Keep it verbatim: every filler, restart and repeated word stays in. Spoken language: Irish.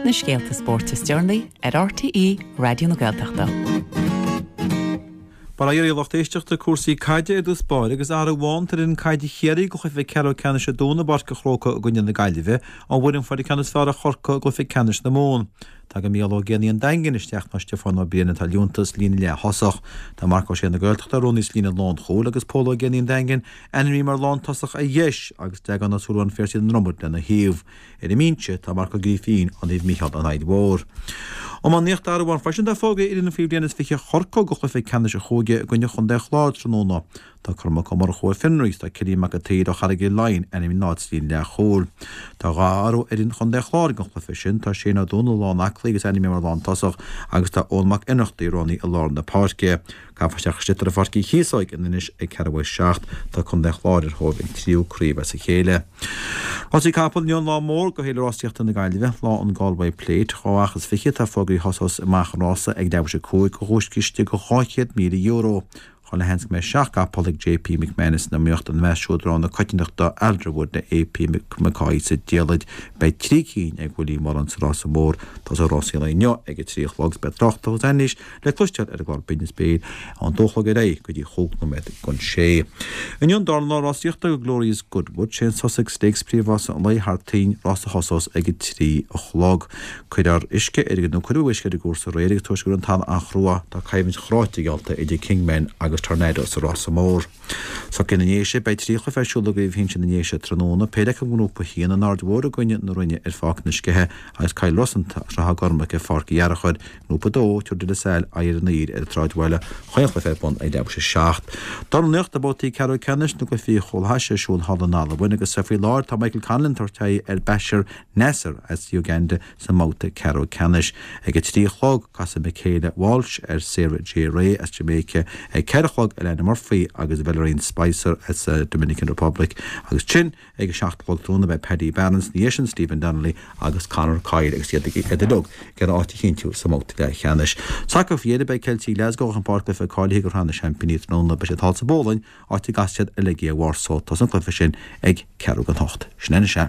Na scéalta spóirt is deireanaí ar RTÉ Raidió na Gaeltachta. Bail ó Dhia oraibh a lucht éisteachta cúrsaí caide ar dtús báire agus athrú amháin tar fhoireann caide Chiarraí go chluiche ceathrú ceannais Dé Domhnaigh i bPáirc an Chrócaigh i gcoinne na Gaillimhe ón bhfoireann a fuair an ceann is fearr ar Chorcaigh i gcluiche ceannais na Mumhan. Tagann Mícheál Ó Géibheannaigh an Daingin isteach in áit Stiofán Ó Briain atá ar liúntas sa líne leath-thosach. Tá Marc Ó Sé na Gaeltachta roghnaithe sa líne lánchúil agus Pól Ó Géibheannaigh an Daingin ainmnithe mar lántosach ar dheis agus Deaglán Ó Súilleabháin Phiarsaigh na Dromad lena thaobh. Ar an mbinse tá Marc Ó Grífín ó Naomh Mícheál an Fhaill Mhór. Iománaíocht athrú amháin freisin tá fógraithe ar fhoireann faoi bhliain is fiche Chorcaí go chluiche ceannais an chúige i gcoinne Chontae an Chláir tráthnóna. Tá Cormac Ó Murchú ó Fionraí agus tá Cillian Mac an tSaoir ó Charraig Uí Leighin ainmnithe ina n-áit sa líne leathchúil. Tá dhá athrú ar fhoireann Chontae an Chláir don chluiche sin, tá Shane Ó Dúnaill lán-aclaí agus ainmnithe mar lántosach agus tá Eoin Mac Ionnrachtaigh roghnaithe i lár na páirce. Caithfear isteach an sliotar i Pháirc Uí Chíosóig in Inis ag ceathrú a seacht. Tá Contae an Chláir ar thóir an tríú craobh as a chéile. Rásaí capall inniu an lá mór go Fhéile Rásaíochta na Gaillimhe, lá an Galway Plate. Dhá each is fiche atá fógraithe thosós amach an rása ag leathuair tar éis a cúig do dhuaischiste de dhá chéad míle euro. Chuile sheans go mbeidh seacht gcapall ag JP McManus san iomaíocht, ina measc siúd rogha na coitiantachta Alderwood le AP McCoy sa diallait. Beidh trí cinn ag Willie Mullins sa rása mór. Tosóidh rásaí an lae inniu ag a trí a chlog agus beidh tráchtaireacht agus anailís le cloisteáil ar an gclár Binn is Béal ón dó a chlog ar aghaidh go dtí chúig nóiméad don sé. Inniu an darna lá rásaíochta do Glorious Goodwood, sé an Sussex Stakes príomhrása an lae thar toinn, rás a thosós ag a trí a chlog. Cuirfear uisce ar an nó cuireadh uisce ar an gcúrsa aréir agus toisc go raibh an talamh an-chrua, tá coimhlint chráite geallta idir Kingman agus Tornado sa rása mór. Sorcóirí na nDéise, Beidh trí chluiche ar siúl i gCraobh Shinsir na nDéise tráthnóna, péire acu i nGrúpa a haon, an Aird Mhór i gcoinne na Rinne ar Pháirc na Sceiche agus Cill Rosanta agus Ráth Gormaigh ar Pháirc Uí Fhearchair. I nGrúpa a dó, tabharfaidh De La Salle aghaidh ar an Aoir ar an tSráidbhaile, chaon chluiche ar bun ag leathuair tar éis a seacht. Dornálaíocht, Tá babhtaí ceathrú ceannais na gcluichí Chomhlachais ar siúl thall in Albain agus faoi láthair tá Michael Conlan ag tabhairt aghaidh ar Bashir Nasser as Uganda sa mbabhta ceathrú ceannais. Ag a trí a chlog, casfaidh Michaela Walsh ar Sarah J Ray as Jamaica. Ag ceithre a chlog, Alana Murphy agus Valerie Spicer as Dominican Republic. Agus ansin ag a seacht a chlog tráthnóna beidh Paddy Barnes ina dhiaidh sin Stephen Donnelly agus Conor Coyle agus iad ag iad uilig ag iarraidh áit a chinntiú sa mbabhta leathcheannais. Sacar faoi dheireadh beidh Ceiltigh Glasgow chun páirc cluiche cáilithe do Shraith na Seaimpíní tráthnóna. Beidh siad thall sa bPólainn, áit a gcasfaidh siad ar Legia Warsaw. Tosaíonn an cluiche sin ag ceathrú don hocht. Sin anois é.